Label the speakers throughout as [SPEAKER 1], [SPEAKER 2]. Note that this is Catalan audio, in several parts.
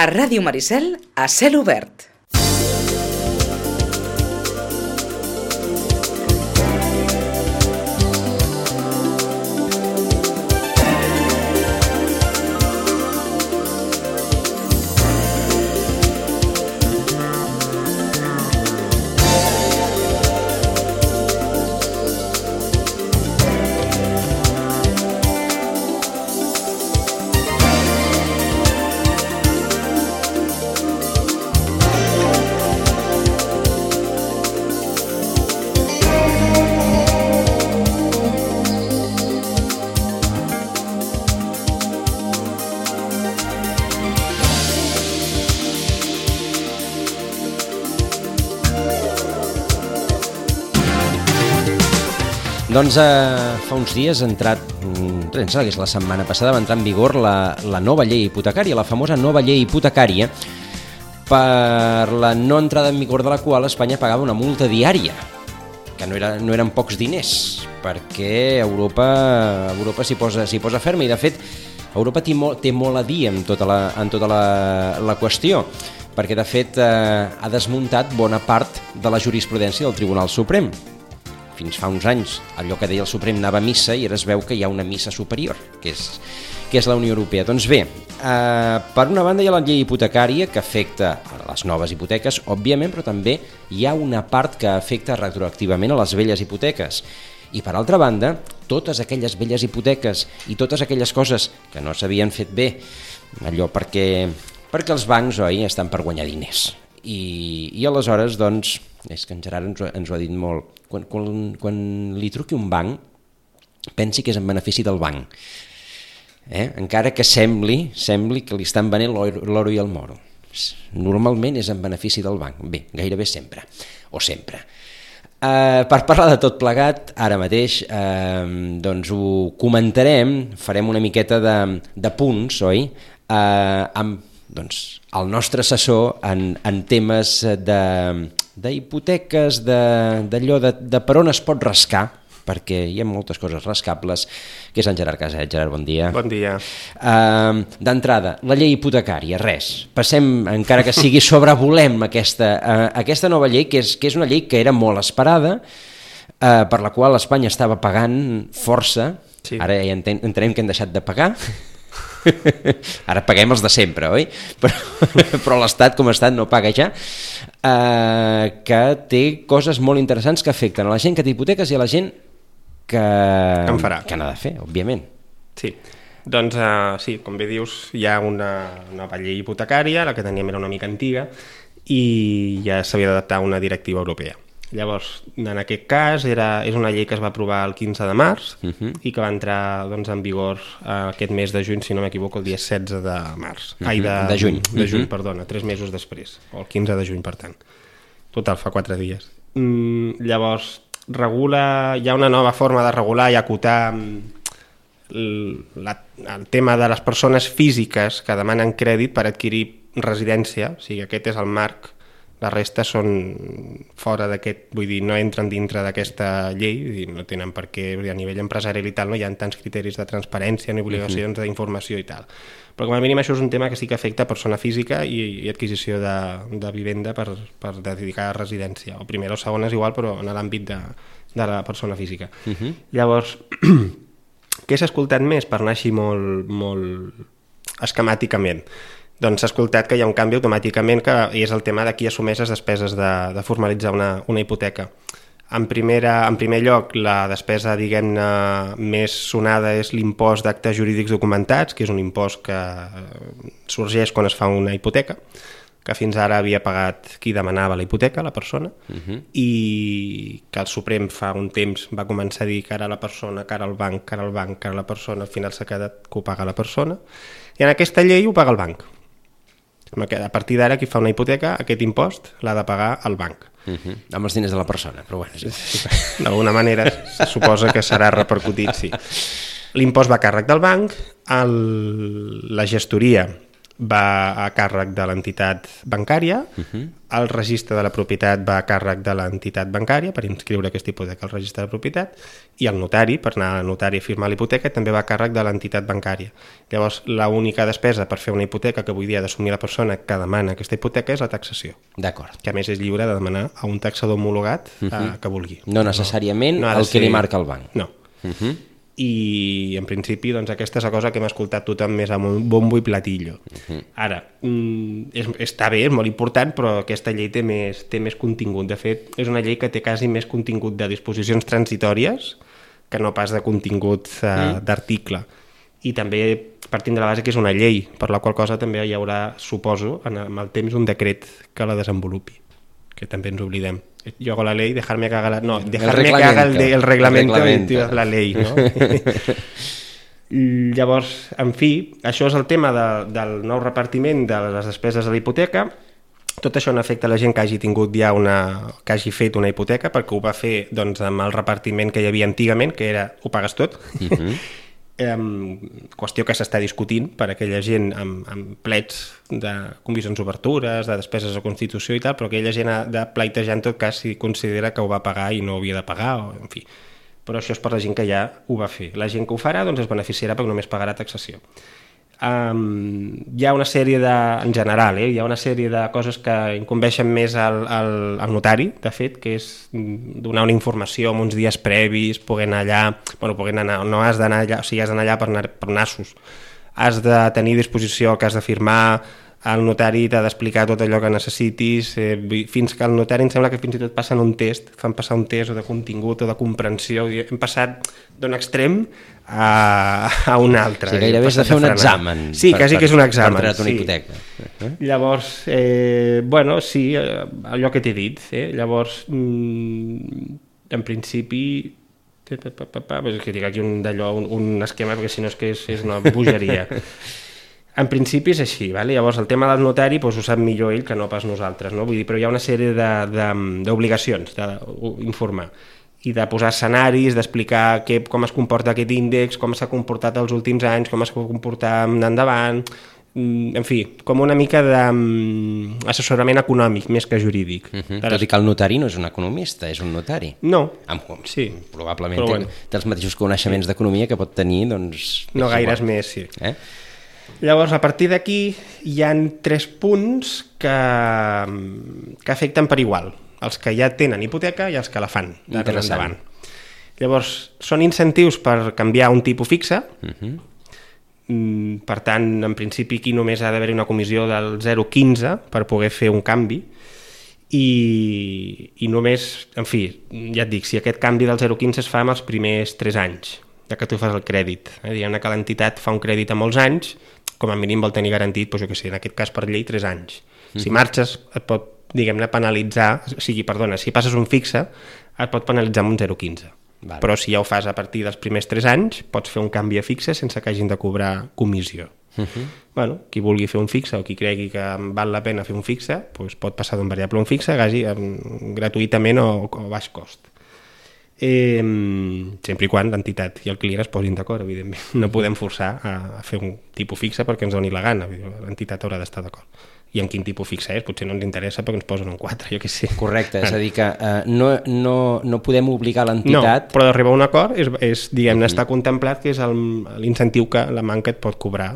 [SPEAKER 1] A Ràdio Maricel, a cel obert.
[SPEAKER 2] Doncs fa uns dies ha entrat, que és la setmana passada, va entrar en vigor la nova llei hipotecària, la famosa nova llei hipotecària, per la no entrada en vigor de la qual Espanya pagava una multa diària, que no eren pocs diners, perquè Europa s'hi posa ferma, i de fet Europa té molt a dir en tota la qüestió, perquè de fet ha desmuntat bona part de la jurisprudència del Tribunal Suprem. Fins fa uns anys allò que deia el Suprem anava a missa i ara es veu que hi ha una missa superior, que és la Unió Europea. Doncs bé, per una banda hi ha la llei hipotecària que afecta a les noves hipoteques, òbviament, però també hi ha una part que afecta retroactivament a les velles hipoteques. I per altra banda, totes aquelles velles hipoteques i totes aquelles coses que no s'havien fet bé, allò perquè els bancs, oi, estan per guanyar diners. I aleshores, doncs, és que en Gerard ens ho ha dit molt, quan li truqui un banc, pensi que és en benefici del banc, encara que sembli que li estan venent l'oro i el moro. Normalment és en benefici del banc, bé, gairebé sempre, o sempre. Per parlar de tot plegat, ara mateix doncs ho comentarem, farem una miqueta de punts, oi? Amb el nostre assessor en temes d'hipoteques, d'allò de per on es pot rascar, perquè hi ha moltes coses rascables, que és en Gerard Caset. Gerard, bon dia.
[SPEAKER 3] Bon dia.
[SPEAKER 2] D'entrada, la llei hipotecària, res. Passem, encara que sigui sobrevolem aquesta nova llei, que és una llei que era molt esperada, per la qual Espanya estava pagant força. Sí. Ara ja entenem que hem deixat de pagar. Ara paguem els de sempre, oi? Però l'Estat com a Estat no paga ja, que té coses molt interessants que afecten a la gent que té hipoteques i a la gent que n'ha de fer, òbviament.
[SPEAKER 3] Sí, doncs sí, com bé dius, hi ha una nova llei hipotecària, la que teníem era una mica antiga i ja s'havia d'adaptar a una directiva europea. Llavors, en aquest cas, és una llei que es va aprovar el 15 de març i que va entrar en vigor aquest mes de juny, si no m'equivoco, el dia 16 de març.
[SPEAKER 2] De juny.
[SPEAKER 3] De juny, perdona, 3 mesos després, o el 15 de juny, per tant. Total, fa 4 dies. Llavors, hi ha una nova forma de regular i acotar el tema de les persones físiques que demanen crèdit per adquirir residència, o sigui, aquest és el marc. La resta són fora d'aquest, vull dir, no entren dintre d'aquesta llei, no tenen per què, a nivell empresarial i tal, no hi ha tants criteris de transparència ni obligacions d'informació i tal. Però com a mínim això és un tema que sí que afecta persona física i adquisició de vivenda per dedicar a residència. O primera o segona és igual, però en l'àmbit de la persona física. Llavors, què s'ha escoltat més per anar així molt esquemàticament? Doncs s'ha escoltat que hi ha un canvi automàticament i és el tema de qui assumeix les despeses de formalitzar una hipoteca. En primer lloc, la despesa, diguem-ne, més sonada és l'impost d'actes jurídics documentats, que és un impost que sorgeix quan es fa una hipoteca, que fins ara havia pagat qui demanava la hipoteca, la persona, i que el Suprem fa un temps va començar a dir que ara la persona, que ara el banc, que ara el banc, que ara la persona, al final s'ha quedat que ho paga la persona, i en aquesta llei ho paga el banc. A partir d'ara, qui fa una hipoteca, aquest impost l'ha de pagar el banc.
[SPEAKER 2] Amb els diners de la persona, però bueno. Sí.
[SPEAKER 3] D'alguna manera se suposa que serà repercutit, sí. L'impost va a càrrec del banc, la gestoria va a càrrec de l'entitat bancària, el registre de la propietat va a càrrec de l'entitat bancària per inscriure aquesta hipoteca al registre de propietat, i el notari, per anar al notari a firmar la hipoteca, també va a càrrec de l'entitat bancària. Llavors, l'única despesa per fer una hipoteca que avui dia ha d'assumir la persona que demana aquesta hipoteca és la taxació,
[SPEAKER 2] D'acord.
[SPEAKER 3] que a més és lliure de demanar a un taxador homologat que vulgui.
[SPEAKER 2] No necessàriament
[SPEAKER 3] ha de
[SPEAKER 2] el que li
[SPEAKER 3] ser-
[SPEAKER 2] marca el banc.
[SPEAKER 3] No. I en principi doncs, aquesta és la cosa que hem escoltat tothom més amb un bombo i platillo. Ara, està bé, és molt important, però aquesta llei té més contingut. De fet, és una llei que té quasi més contingut de disposicions transitòries que no pas de contingut d'article. I també partint de la base que és una llei, per la qual cosa també hi haurà, suposo, amb el temps un decret que la desenvolupi, que també ens oblidem. Yo hago la ley, dejarme que haga la... No, dejarme que haga el reglamento de la ley, no? Llavors, en fi, això és el tema del nou repartiment de les despeses de la hipoteca. Tot això no afecta la gent que hagi tingut ja que hagi fet una hipoteca, perquè ho va fer doncs, amb el repartiment que hi havia antigament, que era ho pagues tot. Qüestió que s'està discutint per aquella gent amb plets de comissions obertures, de despeses de constitució i tal, però aquella gent ha de pleitejar en tot cas si considera que ho va pagar i no ho havia de pagar, o, en fi. Però això és per la gent que ja ho va fer. La gent que ho farà doncs, es beneficiarà perquè només pagarà taxació. Hi ha una sèrie en general, hi ha una sèrie de coses que incumbeixen més al notari, de fet, que és donar una informació amb uns dies previs, poder anar allà, no has d'anar allà, o sigui, has d'anar allà per nassos, has de tenir a disposició el que has de firmar, el notari t'ha d'explicar tot allò que necessitis, fins que el notari em sembla que fins i tot passen un test, fan passar un test o de contingut o de comprensió, hem passat d'un extrem a un altre.
[SPEAKER 2] Sí, gairebé has de fer un examen.
[SPEAKER 3] Sí, quasi que és un examen.
[SPEAKER 2] Per treure una hipoteca.
[SPEAKER 3] Llavors, sí, allò que t'he dit. Llavors, en principi, és que tinc aquí un esquema, perquè si no és que és una bogeria. En principi és així, vale? Llavors el tema del notari doncs, ho sap millor ell que no pas nosaltres, no? Vull dir, però hi ha una sèrie d'obligacions d'informar i de posar escenaris, d'explicar com es comporta aquest índex, com s'ha comportat els últims anys, com es comporta endavant, en fi, com una mica d'assessorament econòmic més que jurídic.
[SPEAKER 2] Tot i que el notari no és un economista, és un notari.
[SPEAKER 3] No,
[SPEAKER 2] sí. Probablement té els mateixos coneixements d'economia que pot tenir, doncs...
[SPEAKER 3] No gaires més, sí. Llavors, a partir d'aquí hi han 3 punts que afecten per igual, els que ja tenen hipoteca i els que la fan d'ara endavant. Llavors, són incentius per canviar un tipus fixe, per tant, en principi aquí només ha d'haver una comissió del 0,15 per poder fer un canvi, i només, en fi, ja et dic, si aquest canvi del 0,15 es fa en els primers 3 anys, ja que tu fas el crèdit. Diguem-ne que l'entitat fa un crèdit a molts anys, com a mínim vol tenir garantit, doncs jo què sé, en aquest cas per llei 3 anys. Si marxes et pot, diguem-ne, penalitzar, si passes un fixe, et pot penalitzar amb un 0,15. Vale. Però si ja ho fas a partir dels primers 3 anys, pots fer un canvi a fixe sense que hagin de cobrar comissió. Bueno, qui vulgui fer un fixe o qui cregui que val la pena fer un fixe, doncs pot passar d'un variable a un fixe gratuïtament o a baix cost. Sempre i quan l'entitat i el client es posin d'acord, evidentment. No podem forçar a fer un tipus fixe perquè ens doni la gana, l'entitat haurà d'estar d'acord. I en quin tipus fixe és, potser no ens interessa perquè ens posen un 4, jo què sé.
[SPEAKER 2] Correcte, és a dir que no podem obligar l'entitat...
[SPEAKER 3] No, però d'arribar a un acord és diguem-ne, està contemplat que és l'incentiu que la banca et pot cobrar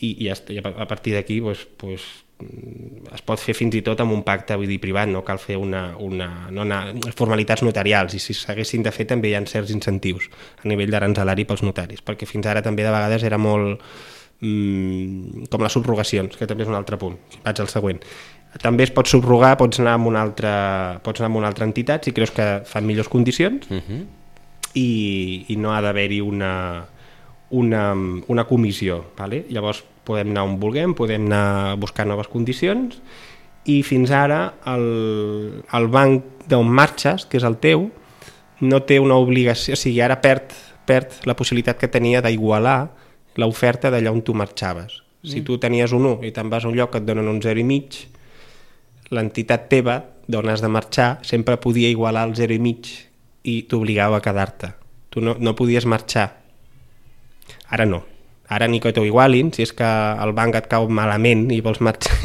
[SPEAKER 3] i a partir d'aquí es pot fer fins i tot amb un pacte, vull dir, privat, no cal fer formalitats notarials, i si s'haguessin de fer també hi ha certs incentius a nivell d'aranzelari pels notaris, perquè fins ara també de vegades era molt com les subrogacions, que també és un altre punt. Vaig al següent. També es pot subrogar, pots anar amb una altra entitat si creus que fan millors condicions i no ha d'haver-hi una comissió, vale? Llavors podem anar on vulguem, podem anar a buscar noves condicions, i fins ara el banc d'on marxes, que és el teu, no té una obligació, o sigui, ara perd la possibilitat que tenia d'igualar l'oferta d'allà on tu marxaves. Si tu tenies un 1 i te'n vas a un lloc que et donen un 0,5, l'entitat teva d'on has de marxar sempre podia igualar el 0,5 i t'obligava a quedar-te. Tu no podies marxar. Ara no. Ara ni que t'ho igualin, si és que el banc et cau malament i vols marxar,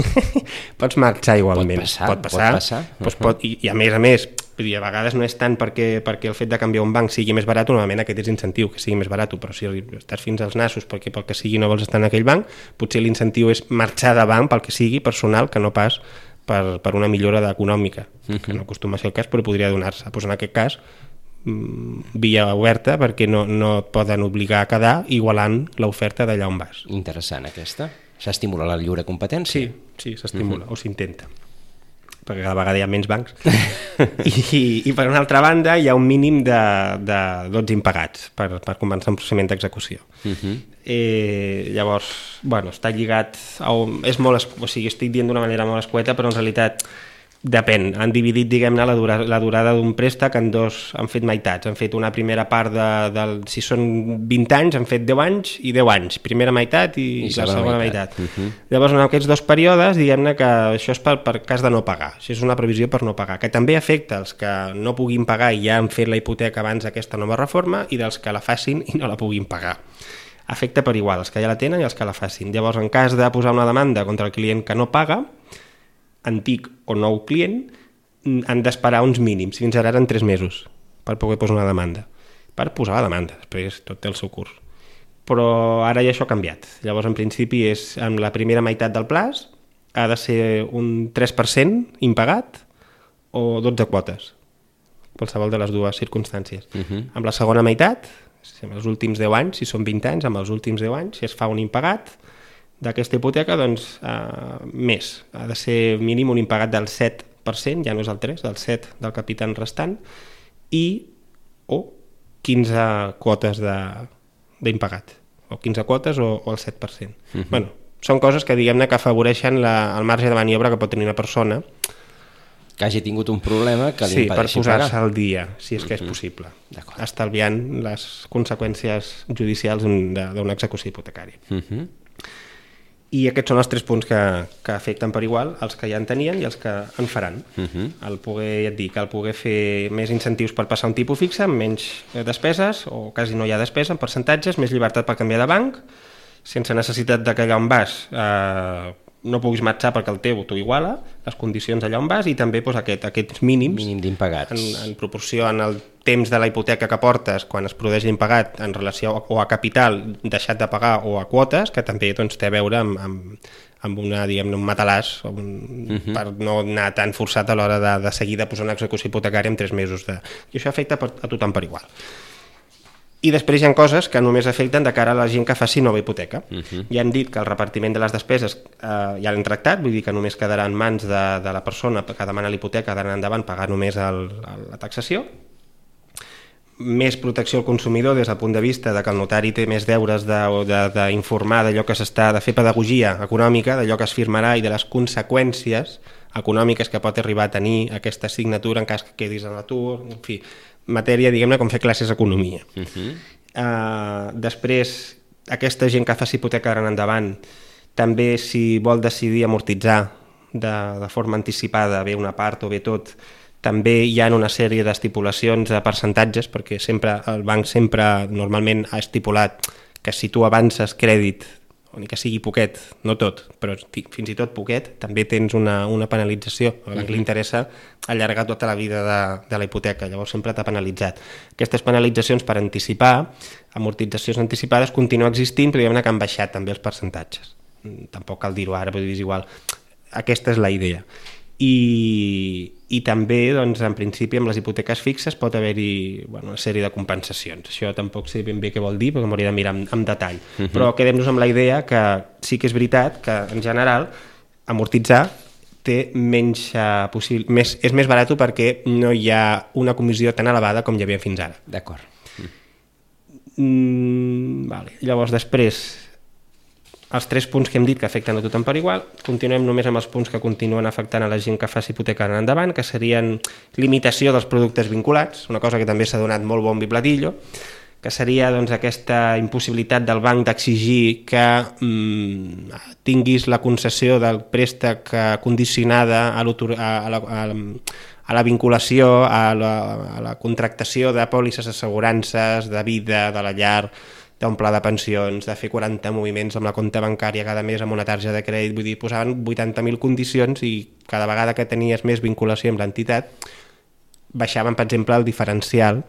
[SPEAKER 3] pots marxar igualment.
[SPEAKER 2] Pot passar.
[SPEAKER 3] Doncs I a més, a vegades no és tant perquè el fet de canviar un banc sigui més barat, normalment aquest és incentiu, que sigui més barat, però si estàs fins als nassos perquè pel que sigui no vols estar en aquell banc, potser l'incentiu és marxar de banc pel que sigui personal, que no pas per una millora econòmica, que no acostuma a ser el cas, però podria donar-se. Doncs en aquest cas, via oberta, perquè no et poden obligar a quedar igualant l'oferta d'allà on vas.
[SPEAKER 2] Interessant aquesta. S'estimula la lliure competència?
[SPEAKER 3] Sí, s'estimula, o s'intenta, perquè cada vegada hi ha menys bancs. I per una altra banda hi ha un mínim de 12 impagats per començar un procediment d'execució. Llavors, està lligat és molt, o sigui, estic dient d'una manera molt escueta, però en realitat depèn. Han dividit, diguem-ne, la durada d'un préstec en dos, han fet meitats. Han fet una primera part si són 20 anys, han fet 10 anys i 10 anys. Primera meitat i la segona meitat. Llavors, en aquests dos períodes, diguem-ne que això és per cas de no pagar. Això és una previsió per no pagar, que també afecta els que no puguin pagar i ja han fet la hipoteca abans d'aquesta nova reforma i dels que la facin i no la puguin pagar. Afecta per igual, els que ja la tenen i els que la facin. Llavors, en cas de posar una demanda contra el client que no paga, antic o nou client, han d'esperar uns mínims. Fins ara eren 3 mesos per poder posar una demanda. Per posar la demanda, després tot té el seu curs. Però ara ja això ha canviat. Llavors, en principi, en la primera meitat del plaç ha de ser un 3% impagat o 12 quotes, qualsevol de les dues circumstàncies. Amb la segona meitat, amb els últims 10 anys, si són 20 anys, amb els últims 10 anys, si es fa un impagat d'aquesta hipoteca, doncs més. Ha de ser mínim un impagat del 7%, ja no és el 3%, del 7% del capital restant, o 15 quotes d'impagat, o 15 quotes o el 7%. Són coses que, diguem-ne, que afavoreixen el marge de maniobra que pot tenir una persona
[SPEAKER 2] que hagi tingut un problema que li impedeixi pagar.
[SPEAKER 3] Per posar-se al dia, si és que és possible, estalviant les conseqüències judicials d'una execució hipotecària. I aquests són els 3 punts que afecten per igual els que ja en tenien i els que en faran. El poder fer més incentius per passar un tipus fixe, amb menys despeses, o quasi no hi ha despesa en percentatges, més llibertat per canviar de banc, sense necessitat de que allà on vas no puguis marxar perquè el teu t'ho iguala, les condicions allà on vas, i també aquests mínims
[SPEAKER 2] d'impagats
[SPEAKER 3] en proporció en el temps de la hipoteca que portes quan es produeix l'impagat en relació o a capital deixat de pagar o a quotes, que també té a veure amb un matalàs per no anar tan forçat a l'hora de seguir de posar una execució hipotecària en 3 mesos. I això afecta a tothom per igual. I després hi ha coses que només afecten de cara a la gent que faci nova hipoteca. Ja hem dit que el repartiment de les despeses ja l'hem tractat, vull dir que només quedarà en mans de la persona que demana l'hipoteca d'anar endavant pagar només la taxació. Més protecció al consumidor des del punt de vista de que el notari té més deures d'informar d'allò que s'està, de fer pedagogia econòmica, d'allò que es firmarà i de les conseqüències econòmiques que pot arribar a tenir aquesta signatura en cas que quedis en l'atur, en fi, matèria, diguem-ne, com fer classes d'economia. Després, aquesta gent que faci hipoteca d'anar endavant, també si vol decidir amortitzar de forma anticipada, bé una part o bé tot, també hi ha una sèrie d'estipulacions de percentatges, perquè el banc sempre normalment ha estipulat que si tu avances crèdit, o ni que sigui poquet, no tot, però fins i tot poquet, també tens una penalització. A banc li interessa allargar tota la vida de la hipoteca, llavors sempre t'ha penalitzat. Aquestes penalitzacions per anticipar, amortitzacions anticipades, continuen existint, però diguem-ne que han baixat també els percentatges. Tampoc cal dir-ho ara, però és igual. Aquesta és la idea. I també, doncs, en principi, amb les hipoteques fixes pot haver-hi una sèrie de compensacions. Això tampoc sé ben bé què vol dir, perquè m'hauria de mirar amb detall. Però quedem-nos amb la idea que sí que és veritat que, en general, amortitzar té menys és més barat perquè no hi ha una comissió tan elevada com hi havia fins ara.
[SPEAKER 2] D'acord.
[SPEAKER 3] Llavors, després, els 3 punts que hem dit que afecten a tothom per igual, continuem només amb els punts que continuen afectant a la gent que faci hipoteca en endavant, que serien limitació dels productes vinculats, una cosa que també s'ha donat molt bombo i platillo, que seria aquesta impossibilitat del banc d'exigir que tinguis la concessió del préstec condicionada a la vinculació, a la contractació de pòlisses assegurances, de vida, de la llar, d'un pla de pensions, de fer 40 moviments amb la compta bancària cada mes amb una targeta de crèdit, vull dir, posaven 80.000 condicions i cada vegada que tenies més vinculació amb l'entitat baixaven, per exemple, el diferencial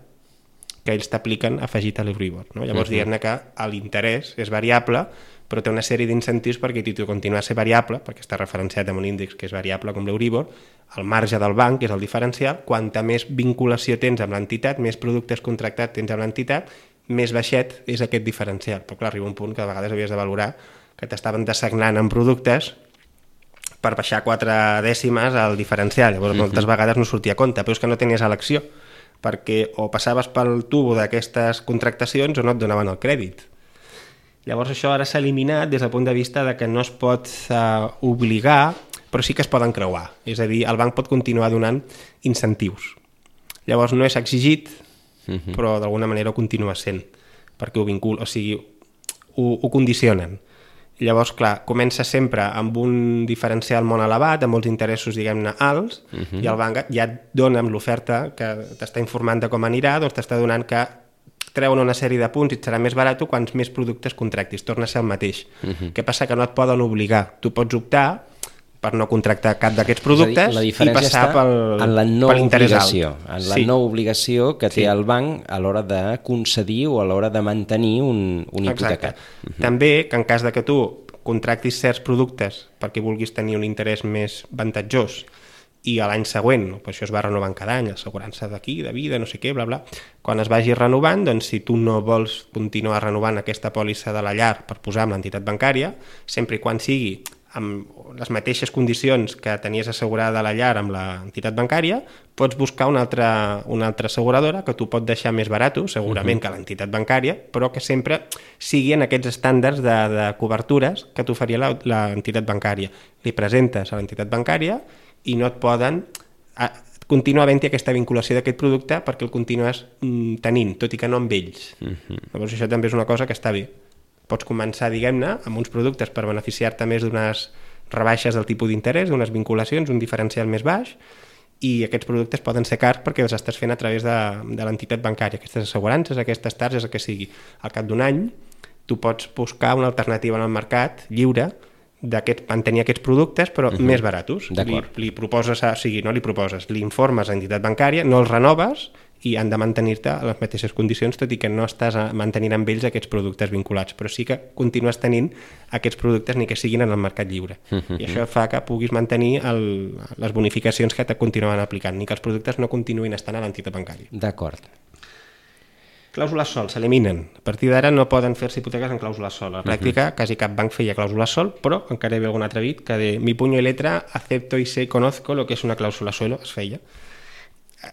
[SPEAKER 3] que ells t'apliquen afegit a l'Euribor. No? Llavors, diguem-ne que l'interès és variable, però té una sèrie d'incentius perquè tu continuar a ser variable, perquè està referenciat amb un índex que és variable com l'Euribor, el marge del banc, que és el diferencial, quanta més vinculació tens amb l'entitat, més productes contractats tens amb l'entitat, més baixet és aquest diferencial. Però clar, arriba un punt que a vegades havies de valorar que t'estaven dessagnant en productes per baixar 4 dècimes al diferencial. Llavors, moltes vegades no sortia a compte, però és que no tenies elecció, perquè o passaves pel tubo d'aquestes contractacions o no et donaven el crèdit. Llavors això ara s'ha eliminat des del punt de vista de que no es pot obligar, però sí que es poden creuar. És a dir, el banc pot continuar donant incentius. Llavors no és exigit, però d'alguna manera ho continua sent, perquè ho vincula, o sigui, ho condicionen. Llavors, clar, comença sempre amb un diferencial molt elevat, amb molts interessos, diguem-ne, alts, i el banc ja et dona amb l'oferta que t'està informant de com anirà, doncs t'està donant que treuen una sèrie de punts i et serà més barat quants més productes contractis, torna a ser el mateix. Què passa? Que no et poden obligar. Tu pots optar per no contractar cap d'aquests productes
[SPEAKER 2] la
[SPEAKER 3] i
[SPEAKER 2] diferència
[SPEAKER 3] passar
[SPEAKER 2] en la no obligació, en la
[SPEAKER 3] sí.
[SPEAKER 2] no obligació que té el banc a l'hora de concedir o a l'hora de mantenir un hipotecat.
[SPEAKER 3] També que en cas de que tu contractis certs productes perquè vulguis tenir un interès més avantatjós i a l'any següent, per això es va renovant cada any, assegurança d'aquí, de vida, no sé què, bla, bla. Quan es vagi renovant, doncs si tu no vols continuar renovant aquesta pòlissa de la llar per posar amb l'entitat bancària, sempre i quan sigui amb les mateixes condicions que tenies assegurada la llar amb l'entitat bancària, pots buscar una altra asseguradora que tu pot deixar més barat, segurament que l'entitat bancària, però que sempre sigui en aquests estàndards de cobertures que t'oferia l'entitat bancària. Li presentes a l'entitat bancària i no et poden continuar havent-hi aquesta vinculació d'aquest producte perquè el continues tenint, tot i que no amb ells. Llavors això també és una cosa que està bé. Pots començar, diguem-ne, amb uns productes per beneficiar-te més d'unes rebaixes del tipus d'interès, d'unes vinculacions, un diferencial més baix, i aquests productes poden ser cars perquè els estàs fent a través de l'entitat bancària, aquestes assegurances, aquestes targes, el que sigui. Al cap d'un any, tu pots buscar una alternativa en el mercat lliure mantenir aquests productes però més baratos. Li proposes, o sigui, no li proposes, li informes a l'entitat bancària, no els renoves i han de mantenir-te a les mateixes condicions, tot i que no estàs mantenint amb ells aquests productes vinculats, però sí que continues tenint aquests productes ni que siguin en el mercat lliure. I això fa que puguis mantenir les bonificacions que te continuen aplicant, ni que els productes no continuïn estant a l'entitat bancària.
[SPEAKER 2] D'acord.
[SPEAKER 3] Clàusules sol s'eliminen. A partir d'ara no poden fer-se hipoteques en clàusules sol. A la pràctica, quasi cap banc feia clàusules sol, però encara hi havia algun atrevit que de mi puño y letra acepto y sé, conozco lo que es una clàusula suelo, es feia.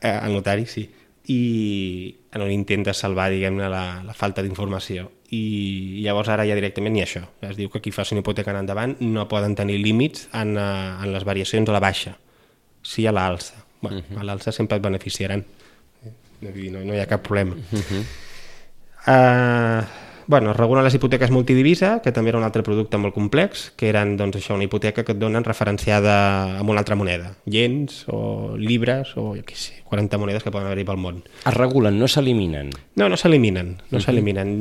[SPEAKER 3] Al notari, sí. I en un intent de salvar, diguem-ne, la falta d'informació. I llavors ara ja directament ni això. Es diu que qui faci una hipoteca en endavant no poden tenir límits en les variacions a la baixa, sí a l'alça. Bueno, a l'alça sempre et beneficiaran. No hi ha cap problema. Es regulen les hipoteques multidivisa, que també era un altre producte molt complex, que eren doncs, això, una hipoteca que et donen referenciada amb una altra moneda, iens o llibres o jo què sé, 40 monedes que poden haver-hi pel món.
[SPEAKER 2] Es regulen, no s'eliminen?
[SPEAKER 3] No s'eliminen, s'eliminen.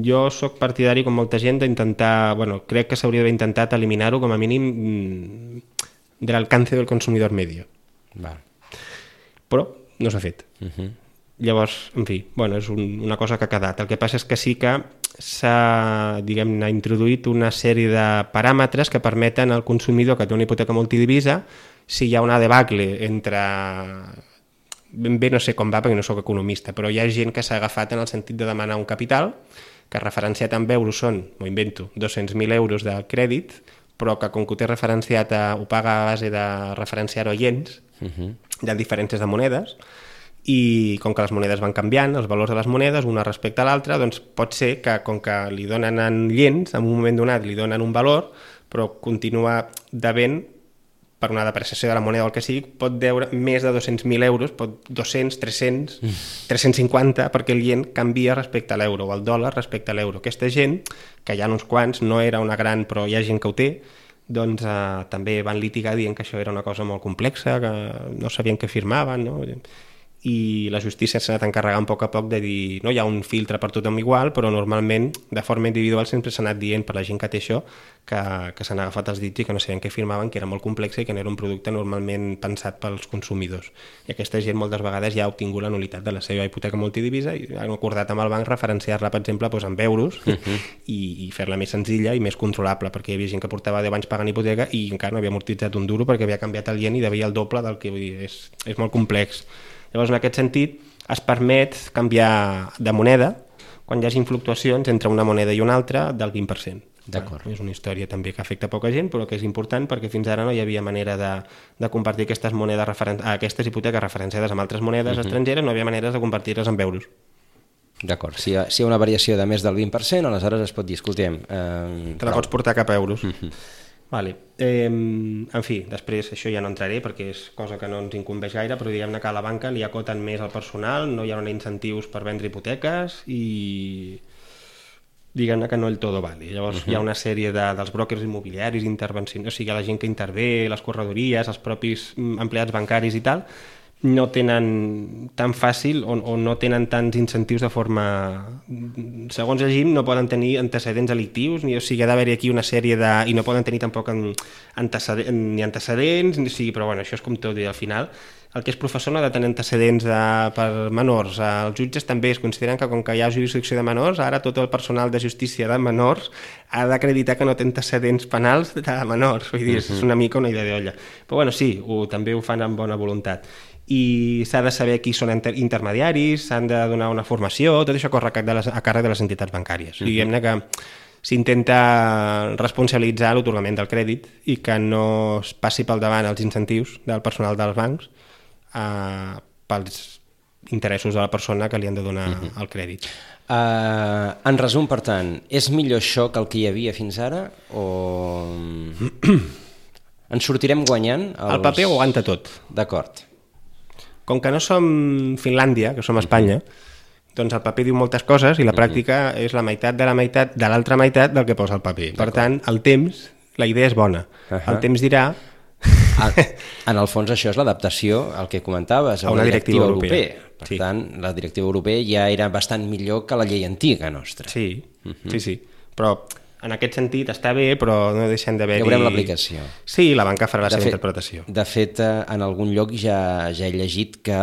[SPEAKER 3] Jo sóc partidari, com molta gent, d'intentar, crec que s'hauria d'haver intentat eliminar-ho com a mínim de l'alcance del consumidor medio. Però no s'ha fet. Llavors, en fi, és una cosa que ha quedat. El que passa és que sí que s'ha, diguem-ne, introduït una sèrie de paràmetres que permeten al consumidor que té una hipoteca multidivisa, si hi ha una debacle entre... Ben bé no sé com va perquè no sóc economista, però hi ha gent que s'ha agafat en el sentit de demanar un capital que referenciat en euros són, m'ho invento, 200.000 euros de crèdit, però que com que ho té referenciat, ho paga a base de referenciar-ho a iens, de diferències de monedes, i com que les monedes van canviant, els valors de les monedes, una respecte a l'altra, doncs pot ser que com que li donen en iens, en un moment donat li donen un valor, però continua devent per una depreciació de la moneda o el que sigui, pot deure més de 200.000 euros, 200, 300, 350, perquè el ien canvia respecte a l'euro, o el dòlar respecte a l'euro. Aquesta gent, que hi ha uns quants, no era una gran, però hi ha gent que ho té, doncs també van litigar dient que això era una cosa molt complexa, que no sabien què firmaven, no? i la justícia s'ha anat encarregant a poc de dir no hi ha un filtre per tothom igual, però normalment de forma individual sempre s'ha anat dient per la gent que té això que s'han agafat els dits i que no sabien què firmaven, que era molt complex i que no era un producte normalment pensat pels consumidors. I aquesta gent moltes vegades ja ha obtingut la nul·litat de la seva hipoteca multidivisa i han acordat amb el banc referenciar-la, per exemple, en euros i fer-la més senzilla i més controlable, perquè hi havia gent que portava 10 anys pagant hipoteca i encara no havia amortitzat un duro perquè havia canviat el ien i devia el doble del que, vull dir, és molt complex. Llavors, en aquest sentit, es permet canviar de moneda quan hi hagi fluctuacions entre una moneda i una altra del 20%.
[SPEAKER 2] D'acord.
[SPEAKER 3] És una història també que afecta poca gent, però que és important perquè fins ara no hi havia manera de compartir aquestes monedes aquestes hipoteques referenciades amb altres monedes estrangeres, no hi havia maneres de compartir-les en euros.
[SPEAKER 2] D'acord, si hi ha una variació de més del 20%, aleshores es pot dir, escoltem...
[SPEAKER 3] Te la pots portar cap a euros. Vale. En fi, després això ja no entraré perquè és cosa que no ens incumbeix gaire, però diguem-ne que a la banca li acoten més al personal, no hi ha incentius per vendre hipoteques i diguem-ne que no el todo vale. Llavors hi ha una sèrie dels brokers immobiliaris, intervencions, o sigui, la gent que intervé, les corredories, els propis empleats bancaris i tal, no tenen tan fàcil o no tenen tants incentius de forma... Segons el GIM no poden tenir antecedents delictius, o sigui, ha d'haver-hi aquí una sèrie de... i no poden tenir tampoc ni antecedents, o sigui, però bueno, això és com tot, i al final el que és professor no ha de tenir antecedents per menors. Els jutges també es consideren que com que hi ha jurisdicció de menors, ara tot el personal de justícia de menors ha d'acreditar que no té antecedents penals de menors, vull dir, és una mica una idea d'olla. Però bueno, sí, també ho fan amb bona voluntat. I s'ha de saber qui són intermediaris, s'han de donar una formació, tot això corre a càrrec de les entitats bancàries. Diguem-ne que s'intenta responsabilitzar l'otorgament del crèdit i que no es passi pel davant els incentius del personal dels bancs pels interessos de la persona que li han de donar el crèdit.
[SPEAKER 2] En resum, per tant, és millor això que el que hi havia fins ara o ens sortirem guanyant?
[SPEAKER 3] El paper ho aguanta tot.
[SPEAKER 2] D'acord.
[SPEAKER 3] Com que no som Finlàndia, que som Espanya, doncs el paper diu moltes coses i la pràctica és la meitat de l'altra meitat del que posa el paper. Per tant, el temps, la idea és bona. El temps dirà...
[SPEAKER 2] En el fons això és l'adaptació al que comentaves, a una directiva europea. Per tant, la directiva europea ja era bastant millor que la llei antiga nostra.
[SPEAKER 3] Sí, sí. Però en aquest sentit està bé, però no deixen d'haver-hi...
[SPEAKER 2] Ja veurem l'aplicació.
[SPEAKER 3] Sí, la banca farà la seva interpretació.
[SPEAKER 2] De fet, en algun lloc ja he llegit que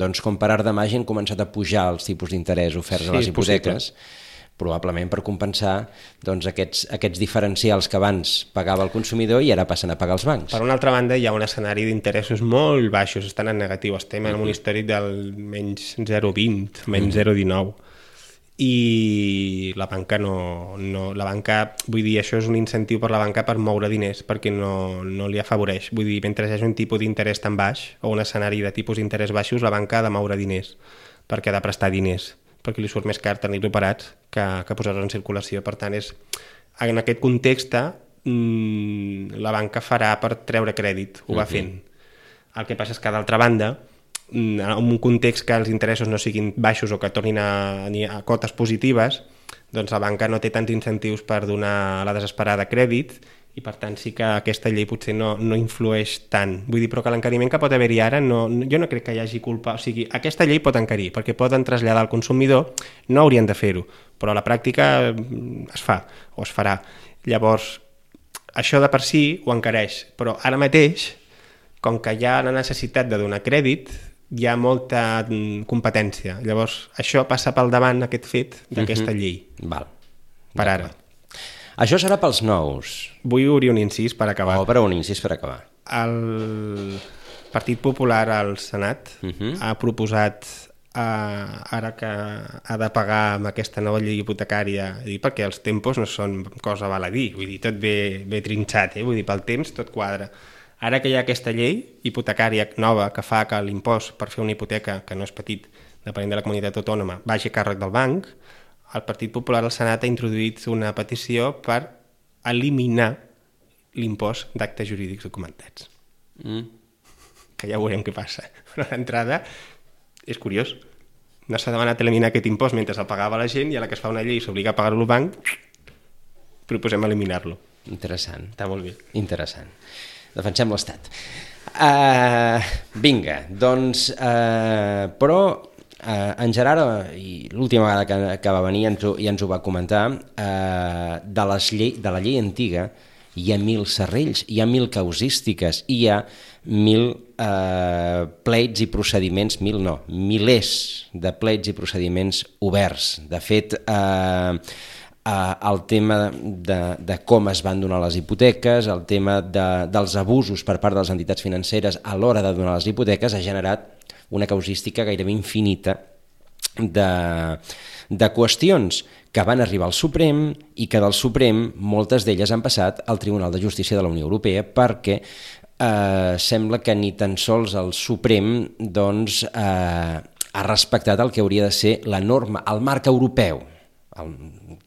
[SPEAKER 2] doncs, com per art de màgia han començat a pujar els tipus d'interès oferts a les hipoteques, probablement per compensar doncs, aquests diferencials que abans pagava el consumidor i ara passen a pagar els bancs.
[SPEAKER 3] Per una altra banda, hi ha un escenari d'interessos molt baixos, estan en negatiu, estem en un històric del menys 0,20, menys 0,19, i la banca la banca, vull dir, això és un incentiu per la banca per moure diners, perquè no li afavoreix. Vull dir, mentre hi hagi un tipus d'interès tan baix o un escenari de tipus d'interès baixos, la banca ha de moure diners, perquè ha de prestar diners, perquè li surt més car tenir-los operats que posar-los en circulació. Per tant, en aquest context la banca farà per treure crèdit, ho va fent. El que passa és que, d'altra banda, en un context que els interessos no siguin baixos o que tornin a cotes positives, doncs la banca no té tants incentius per donar a la desesperada crèdit i per tant sí que aquesta llei potser no influeix tant. Vull dir, però que l'encariment que pot haver-hi ara, jo no crec que hi hagi culpa. O sigui, aquesta llei pot encarir, perquè poden traslladar al consumidor, no haurien de fer-ho, però a la pràctica es fa o es farà. Llavors, això de per si ho encareix, però ara mateix, com que hi ha la necessitat de donar crèdit, hi ha molta competència. Llavors, això passa pel davant, aquest fet d'aquesta llei.
[SPEAKER 2] Val.
[SPEAKER 3] Per ara.
[SPEAKER 2] Això serà pels nous.
[SPEAKER 3] Vull obrir un incís per acabar.
[SPEAKER 2] Obre un incís per acabar.
[SPEAKER 3] El Partit Popular al Senat ha proposat, ara que ha de pagar amb aquesta nova llei hipotecària, perquè els tempos no són cosa val a dir, vull dir, tot ve trinxat, vull dir, pel temps tot quadra. Ara que hi ha aquesta llei hipotecària nova que fa que l'impost per fer una hipoteca, que no és petit, depenent de la comunitat autònoma, vagi a càrrec del banc, el Partit Popular al Senat ha introduït una petició per eliminar l'impost d'actes jurídics documentats. Que ja veurem què passa. Però d'entrada és curiós. No s'ha demanat eliminar aquest impost mentre el pagava la gent i a la que es fa una llei i s'obliga a pagar-lo al banc, proposem eliminar-lo.
[SPEAKER 2] Interessant.
[SPEAKER 3] Està molt bé.
[SPEAKER 2] Interessant. defensem l'Estat. Vinga, doncs, però en Gerard, i l'última vegada que va venir ja ens ho va comentar, de la llei antiga hi ha 1.000 serrells, hi ha 1.000 causístiques, hi ha 1.000 pleits i procediments, 1.000 no, milers de pleits i procediments oberts. De fet, el tema de com es van donar les hipoteques, el tema dels abusos per part de les entitats financeres a l'hora de donar les hipoteques ha generat una causística gairebé infinita de qüestions que van arribar al Suprem i que del Suprem moltes d'elles han passat al Tribunal de Justícia de la Unió Europea perquè sembla que ni tan sols el Suprem doncs, ha respectat el que hauria de ser la norma, el marc europeu,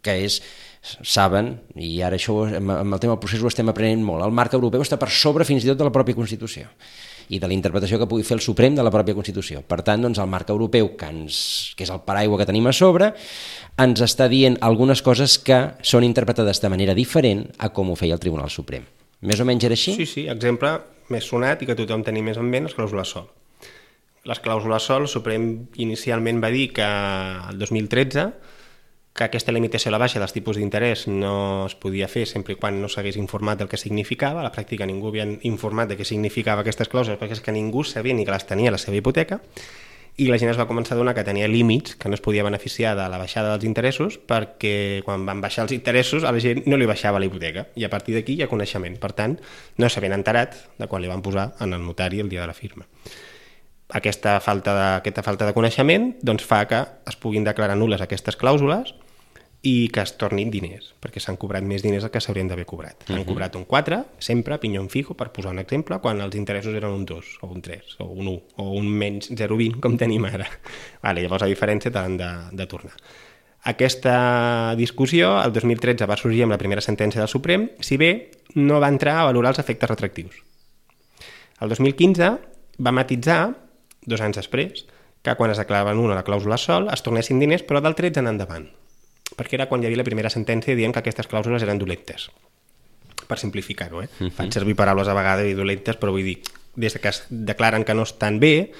[SPEAKER 2] que és, saben, i ara això amb el tema del procés ho estem aprenent molt, el marc europeu està per sobre fins i tot de la pròpia Constitució i de la interpretació que pugui fer el Suprem de la pròpia Constitució. Per tant, doncs, el marc europeu, que és el paraigua que tenim a sobre, ens està dient algunes coses que són interpretades de manera diferent a com ho feia el Tribunal Suprem. Més o menys era així?
[SPEAKER 3] Sí, exemple més sonat i que tothom tenim més en ment, les clàusules sol. Les clàusules sol, el Suprem inicialment va dir que el 2013 que aquesta limitació a la baixa dels tipus d'interès no es podia fer sempre i quan no s'hagués informat del que significava. A la pràctica ningú havia informat de què significava aquestes clàusules perquè és que ningú sabia ni que les tenia a la seva hipoteca i la gent es va començar a donar que tenia límits, que no es podia beneficiar de la baixada dels interessos perquè quan van baixar els interessos a la gent no li baixava la hipoteca i a partir d'aquí hi ha coneixement. Per tant, no s'havien enterat de quan li van posar en el notari el dia de la firma. Aquesta falta de coneixement doncs, fa que es puguin declarar nul·les aquestes clàusules i que es tornin diners, perquè s'han cobrat més diners del que s'haurien d'haver cobrat. Han cobrat un 4, sempre, pinyón fijo, per posar un exemple, quan els interessos eren un 2, o un 3, o un 1, o un menys 0,20, com tenim ara. Llavors, a diferència, t'han de tornar. Aquesta discussió, el 2013, va sorgir amb la primera sentència del Suprem, si bé no va entrar a valorar els efectes retractius. El 2015 va matitzar, 2 anys després, que quan es declarava nul·la la clàusula sol es tornessin diners, però del 13 en endavant, perquè era quan hi havia la primera sentència dient que aquestes clàusules eren dolentes, per simplificar-ho. Faig servir paraules a vegades i dolentes, però vull dir, des que es declaren que no estan bé,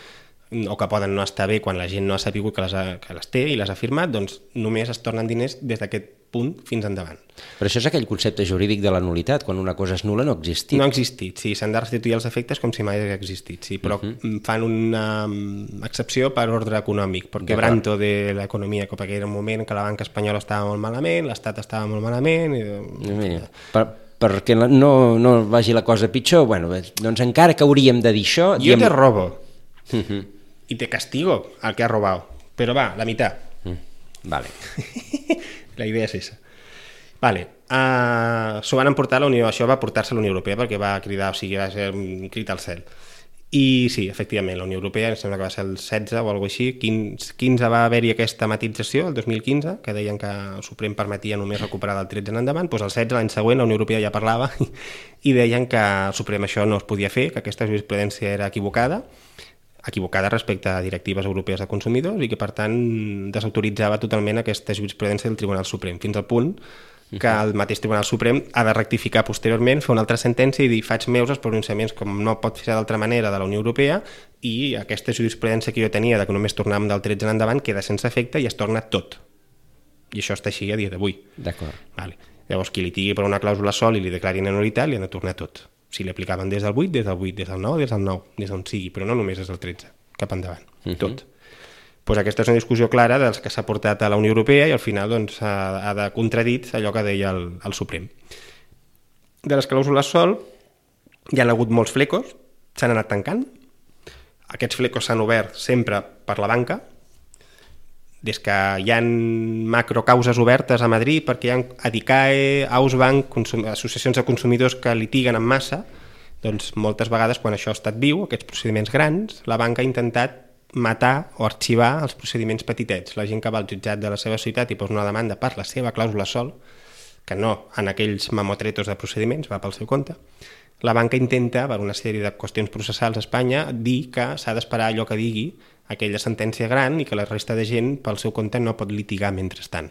[SPEAKER 3] o que poden no estar bé quan la gent no ha sabut que les té i les ha firmat, doncs només es tornen diners des d'aquest punt fins endavant.
[SPEAKER 2] Però això és aquell concepte jurídic de la nulitat, quan una cosa és nul·la no ha existit.
[SPEAKER 3] No ha existit, sí, s'han de restituir els efectes com si mai hagués existit, sí, però fan una excepció per ordre econòmic, per quebranto de l'economia, perquè era un moment que la banca espanyola estava molt malament, l'Estat estava molt malament...
[SPEAKER 2] Perquè no vagi la cosa pitjor, bueno, doncs encara que hauríem de dir això...
[SPEAKER 3] Jo te robo i te castigo al que has robado, però va, la meitat.
[SPEAKER 2] Vale.
[SPEAKER 3] La idea és esa. Vale. S'ho van emportar a la Unió, això va portar-se a la Unió Europea perquè va cridar, o sigui, va ser un crit al cel. I sí, efectivament, la Unió Europea, em sembla que va ser el 16 o alguna cosa així, 15 va haver-hi aquesta matització, el 2015, que deien que el Suprem permetia només recuperar del 13 en endavant, doncs el 16, l'any següent, la Unió Europea ja parlava i deien que el Suprem això no es podia fer, que aquesta jurisprudència era equivocada respecte a directives europees de consumidors i que, per tant, desautoritzava totalment aquesta jurisprudència del Tribunal Suprem, fins al punt que el mateix Tribunal Suprem ha de rectificar posteriorment, fer una altra sentència i dir faig meus els pronunciaments com no pot fer d'altra manera de la Unió Europea i aquesta jurisprudència que jo tenia de que només tornàvem del 13 en endavant queda sense efecte i es torna tot. I això està així a dia d'avui.
[SPEAKER 2] D'acord.
[SPEAKER 3] Vale. Llavors, qui li tigui per una clàusula sol i li declarin anulitat, li han de tornar tot. Si li aplicaven des del 8, des del 8, des del 9, des del 9, des d'on sigui, però no només des del 13, cap endavant, tot. Pues aquesta és una discussió clara dels que s'ha portat a la Unió Europea i al final doncs, ha de contradir allò que deia el Suprem. De les clàusules sol hi ha hagut molts flecos, s'han anat tancant. Aquests flecos s'han obert sempre per la banca, des que hi ha macrocauses obertes a Madrid perquè hi ha Adicae, Ausbank, associacions de consumidors que litiguen en massa, doncs moltes vegades quan això ha estat viu, aquests procediments grans, la banca ha intentat matar o arxivar els procediments petitets. La gent que va al jutjat de la seva ciutat i posa una demanda per la seva clàusula sol, que no en aquells mamotretos de procediments, va pel seu compte, la banca intenta, per una sèrie de qüestions processals a Espanya, dir que s'ha d'esperar allò que digui aquella sentència gran i que la resta de gent pel seu compte no pot litigar mentrestant.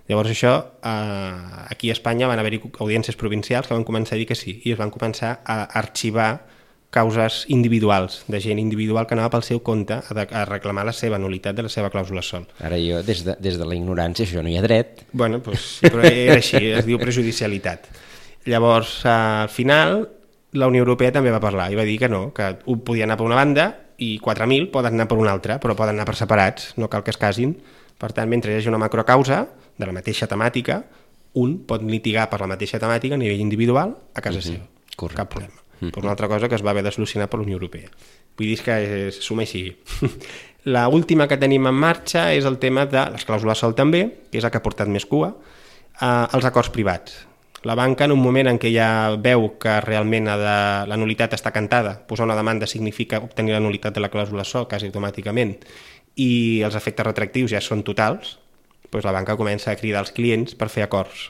[SPEAKER 3] Llavors això, aquí a Espanya van haver-hi audiències provincials que van començar a dir que sí, i es van començar a arxivar causes individuals, de gent individual que anava pel seu compte a reclamar la seva nulitat de la seva clàusula sol.
[SPEAKER 2] Ara jo, des de la ignorància, això no hi ha dret.
[SPEAKER 3] Bueno, doncs, sí, però era així, es diu prejudicialitat. Llavors, al final, la Unió Europea també va parlar i va dir que no, que un podia anar per una banda i 4.000 poden anar per una altra, però poden anar per separats, no cal que es casin. Per tant, mentre hi hagi una macrocausa de la mateixa temàtica, un pot litigar per la mateixa temàtica a nivell individual a casa seva.
[SPEAKER 2] Correcte.
[SPEAKER 3] Cap problema. Per una altra cosa que es va haver de solucionar per la Unió Europea. Vull dir que es suma i sigui. La última que tenim en marxa és el tema de les clàusules sol també, que és el que ha portat més cua, els acords privats. La banca, en un moment en què ja veu que realment la nulitat està cantada, posar una demanda significa obtenir la nulitat de la clàusula sol quasi automàticament, i els efectes retractius ja són totals, doncs la banca comença a cridar als clients per fer acords.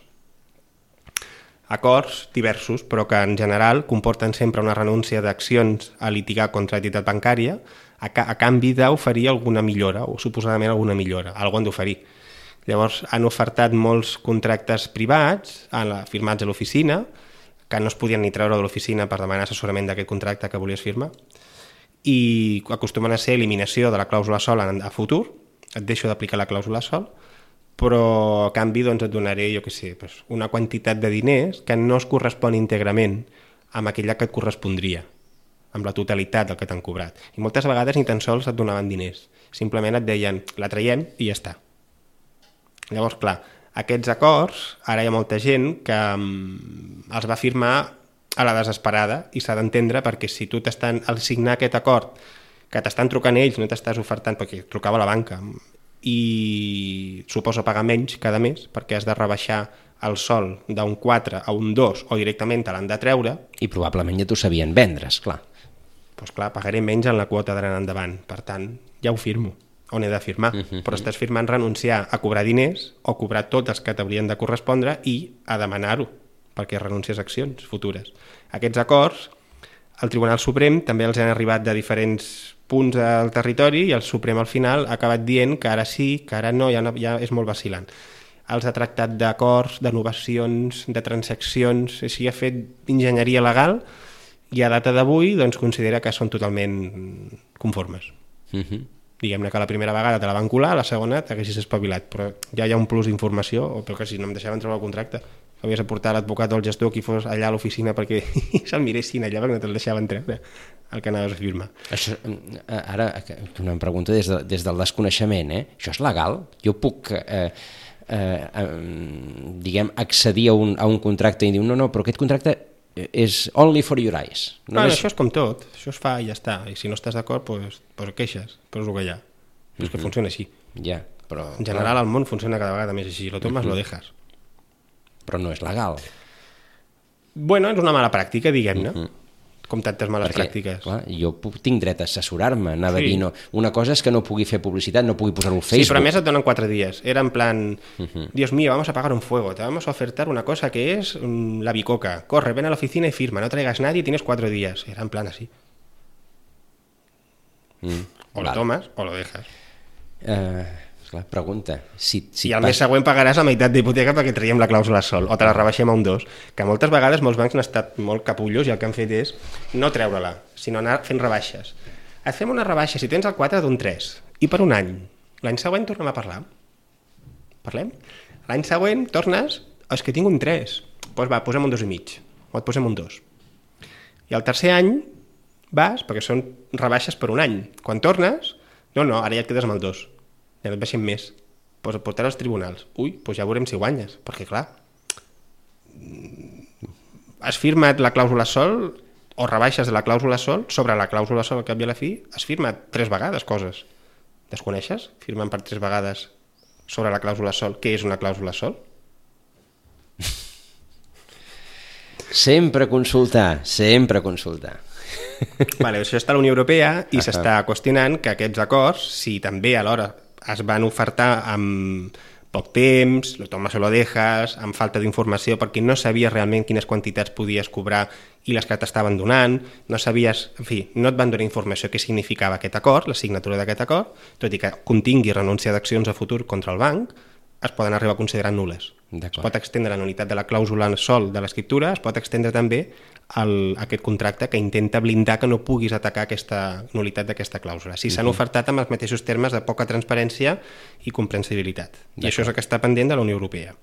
[SPEAKER 3] Acords diversos, però que en general comporten sempre una renúncia d'accions a litigar contra l'entitat bancària a canvi d'oferir alguna millora, o suposadament alguna millora, alguna han d'oferir. Llavors han ofertat molts contractes privats firmats a l'oficina, que no es podien ni treure de l'oficina per demanar assessorament d'aquest contracte que volies firmar, i acostumen a ser eliminació de la clàusula sol a futur, et deixo d'aplicar la clàusula sol, però a canvi doncs, et donaré, jo què sé, una quantitat de diners que no es correspon íntegrament amb aquella que et correspondria, amb la totalitat del que t'han cobrat. I moltes vegades ni tan sols et donaven diners, simplement et deien, la traiem i ja està. Llavors, clar, aquests acords, ara hi ha molta gent que els va firmar a la desesperada i s'ha d'entendre perquè si tu al signar aquest acord que t'estan trucant ells, no t'estàs ofertant, perquè trucava la banca, i suposa pagar menys cada mes perquè has de rebaixar el sol d'un 4 a un 2 o directament te l'han de treure.
[SPEAKER 2] I probablement ja t'ho sabien vendre, esclar.
[SPEAKER 3] Doncs clar, pagaré menys en la quota d'anar endavant, per tant, ja ho firmo, on he de firmar, però estàs firmant renunciar a cobrar diners o cobrar tots els que t'haurien de correspondre i a demanar-ho, perquè renuncies a accions futures. Aquests acords, el Tribunal Suprem també els han arribat de diferents punts al territori i el Suprem al final ha acabat dient que ara sí, que ara no, ja és molt vacil·lant. Els ha tractat d'acords, d'innovacions, de transaccions, així ha fet enginyeria legal i a data d'avui doncs, considera que són totalment conformes. Diguem-ne que la primera vegada te la van colar, la segona t'haguessis espavilat, però ja hi ha un plus d'informació, o perquè si no em deixaven treure el contracte, havies de portar l'advocat o el gestor qui fos allà a l'oficina perquè se'l miressin allà perquè no te'l deixaven treure el que anaves a firmar.
[SPEAKER 2] Això, ara, una pregunta des del desconeixement, això és legal? Jo puc, diguem, accedir a un contracte i dir, no, però aquest contracte és only for your eyes.
[SPEAKER 3] Això és com tot, això es fa i ja està, i si no estàs d'acord, doncs queixes, però és el que hi ha. És que funciona així.
[SPEAKER 2] Ja, però...
[SPEAKER 3] En general, el món funciona cada vegada més així, lo tomes, lo dejas.
[SPEAKER 2] Però no és legal.
[SPEAKER 3] Bueno, és una mala pràctica, diguem-ne, com tantes males pràctiques.
[SPEAKER 2] Clar, jo tinc dret a assessorar-me, anava a dir, no, una cosa és que no pugui fer publicitat, no pugui posar-ho al Facebook.
[SPEAKER 3] Sí, però a més et donen 4 dies. Era en plan, Dios mío, vamos a apagar un fuego, te vamos a ofertar una cosa que es la bicoca. Corre, ven a la oficina y firma, no traigas nadie, tienes 4 días. Era en plan así. O lo tomas o lo dejas.
[SPEAKER 2] Clar, pregunta.
[SPEAKER 3] I al mes següent pagaràs la meitat d'hipoteca perquè traiem la clàusula sol, o te la rebaixem a un 2, que moltes vegades molts bancs han estat molt capullos i el que han fet és no treure-la, sinó anar fent rebaixes. Et fem una rebaixa, si tens el 4 d'un 3, i per un any. L'any següent tornem a parlar. Parlem? L'any següent tornes, és que tinc un 3, doncs va, posem un 2,5, o et posem un 2. I el tercer any vas, perquè són rebaixes per un any. Quan tornes, no, ara ja et quedes amb el 2. Ja no et baixem més, doncs et portarà als tribunals. Ui, doncs ja veurem si guanyes, perquè clar, has firmat la clàusula sol o rebaixes de la clàusula sol sobre la clàusula sol al cap i a la fi, has firmat 3 vegades coses. Desconeixes? Firmen per 3 vegades sobre la clàusula sol. Què és una clàusula sol?
[SPEAKER 2] Sempre consultar.
[SPEAKER 3] Vale, això està a la Unió Europea i s'està qüestionant que aquests acords, si també alhora es van ofertar amb poc temps, lo tomas o lo dejas, amb falta d'informació, perquè no sabies realment quines quantitats podies cobrar i les que t'estaven donant, no sabies, en fi, no et van donar informació què significava aquest acord, la signatura d'aquest acord, tot i que contingui renúncia d'accions a futur contra el banc, es poden arribar a considerar nul·les. Es pot extendre la nul·litat de la clàusula sol de l'escriptura, es pot extendre també aquest contracte que intenta blindar que no puguis atacar aquesta nul·litat d'aquesta clàusula. Si s'han ofertat amb els mateixos termes de poca transparència i comprensibilitat. I això és el que està pendent de la Unió Europea,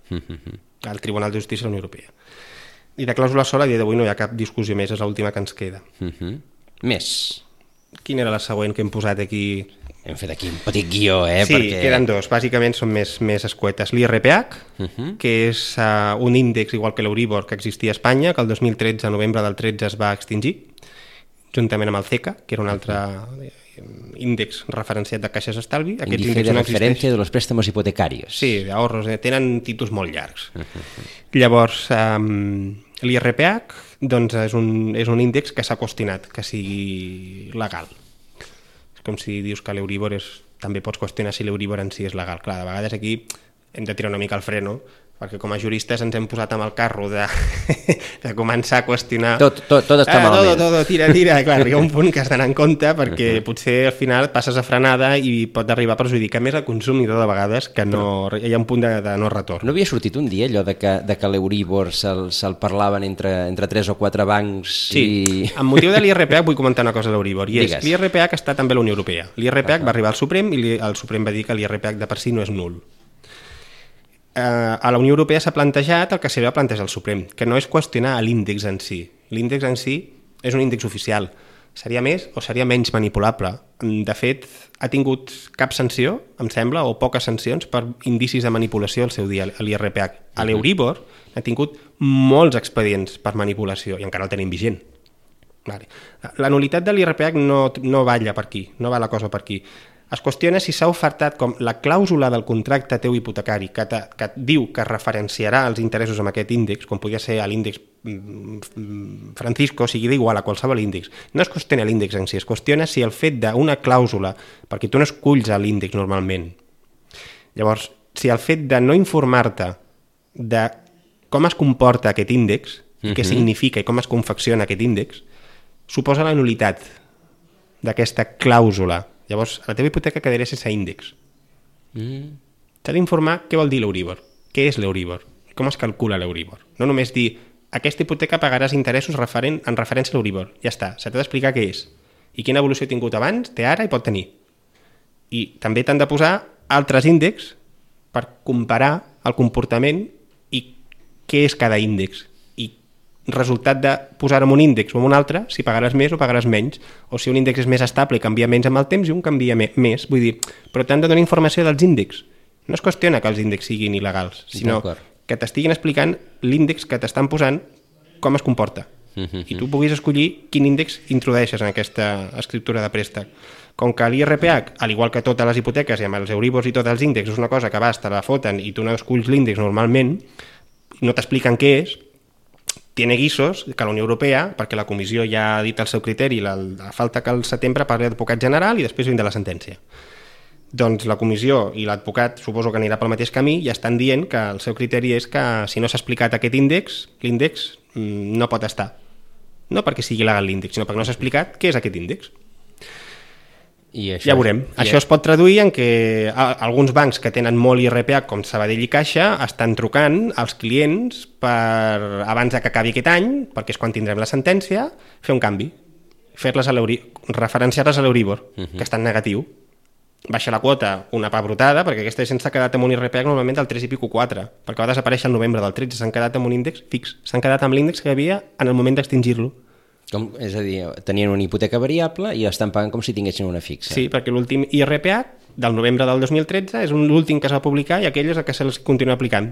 [SPEAKER 3] al Tribunal de Justícia de la Unió Europea. I de clàusula sol a dia d'avui no hi ha cap discussió més, és l'última que ens queda.
[SPEAKER 2] Més.
[SPEAKER 3] Quina era la següent que hem posat aquí?
[SPEAKER 2] Hem fet aquí un petit guió,
[SPEAKER 3] Sí,
[SPEAKER 2] perquè...
[SPEAKER 3] queden dos, bàsicament són més escuetes. L'IRPH, que és un índex igual que l'Euribor que existia a Espanya, que el 2013, a novembre del 13, es va extingir, juntament amb el CECA, que era un altre índex referenciat de caixes d'estalvi.
[SPEAKER 2] Índice de referència de los préstamos hipotecarios.
[SPEAKER 3] Sí, d'ahorros, tenen títols molt llargs. Llavors, l'IRPH doncs, és un índex que s'ha qüestionat que sigui legal. És com si dius que l'Euribor també pots qüestionar si l'Euribor en si és legal. Clar, de vegades aquí hem de tirar una mica el freno, perquè com a juristes ens hem posat amb el carro de començar a qüestionar...
[SPEAKER 2] Tot està malament.
[SPEAKER 3] Tira. Clar, arriba un punt que has d'anar en compte perquè potser al final passes a frenada i pot arribar a perjudicar més el consumidor de vegades, que no, hi ha un punt de no retorn.
[SPEAKER 2] No havia sortit un dia allò de que l'Euribor se'l parlaven entre 3 o 4 bancs?
[SPEAKER 3] Sí, amb motiu de l'IRPH vull comentar una cosa de l'Euribor, i és l'IRPH està també a la Unió Europea. L'IRPH va arribar al Suprem i el Suprem va dir que l'IRPH de per si no és nul. A la Unió Europea s'ha plantejat el que s'ha plantejat al Suprem, que no és qüestionar l'índex en si. L'índex en si és un índex oficial. Seria més o seria menys manipulable. De fet, ha tingut cap sanció, em sembla, o poques sancions per indicis de manipulació al seu dia, a l'IRPH. A l'Euribor ha tingut molts expedients per manipulació i encara el tenim vigent. La nul·litat de l'IRPH no balla per aquí, no va la cosa per aquí. Es qüestiona si s'ha ofertat com la clàusula del contracte teu hipotecari que diu que referenciarà els interessos amb aquest índex, com podria ser l'índex Francisco, sigui d'igual a qualsevol índex. No es qüestiona l'índex en si, es qüestiona si el fet d'una clàusula, perquè tu no esculls l'índex normalment. Llavors, si el fet de no informar-te de com es comporta aquest índex, què significa i com es confecciona aquest índex, suposa la nul·litat d'aquesta clàusula. Llavors, a la teva hipoteca quedaria sense índex. T'ha d'informar què vol dir l'Euribor, què és l'Euribor, com es calcula l'Euribor. No només dir, aquesta hipoteca pagaràs interessos en referència a l'Euribor. Ja està, se t'ha d'explicar què és i quina evolució ha tingut abans, té ara i pot tenir. I també t'han de posar altres índexs per comparar el comportament i què és cada índex. Resultat de posar-ho en un índex o en un altre, si pagaràs més o pagaràs menys, o si un índex és més estable i canvia menys amb el temps i un canvia més, vull dir, però t'han de donar informació dels índexs. No es qüestiona que els índexs siguin il·legals, sinó que t'estiguin explicant l'índex que t'estan posant, com es comporta, i tu puguis escollir quin índex introdueixes en aquesta escriptura de préstec. Com que l'IRPH, al igual que totes les hipoteques i amb els Euribors i tots els índexs, és una cosa que vas, te la foten i tu no esculls l'índex normalment, no t'expliquen què és, tiene guissos que la Unió Europea, perquè la Comissió ja ha dit el seu criteri, falta que al setembre parli l'advocat general i després vindrà la sentència. Doncs la Comissió i l'advocat suposo que anirà pel mateix camí i estan dient que el seu criteri és que si no s'ha explicat aquest índex, l'índex no pot estar. No perquè sigui legal l'índex, sinó perquè no s'ha explicat què és aquest índex. Ja veurem. Això es pot traduir en que alguns bancs que tenen molt IRPH, com Sabadell i Caixa, estan trucant als clients per, abans que acabi aquest any, perquè és quan tindrem la sentència, fer un canvi, referenciar-les a l'Euribor, que està en negatiu. Baixa la quota una pebrotada, perquè aquesta gent s'ha quedat amb un IRPH normalment del 3 i pico 4, perquè va desaparèixer el novembre del 13, s'han quedat amb un índex fix, s'han quedat amb l'índex que hi havia en el moment d'extingir-lo.
[SPEAKER 2] És a dir, tenien una hipoteca variable i estan pagant com si tinguessin una fixa.
[SPEAKER 3] Sí, perquè l'últim IRPH del novembre del 2013 és l'últim que es va publicar i aquell és el que se'ls continua aplicant.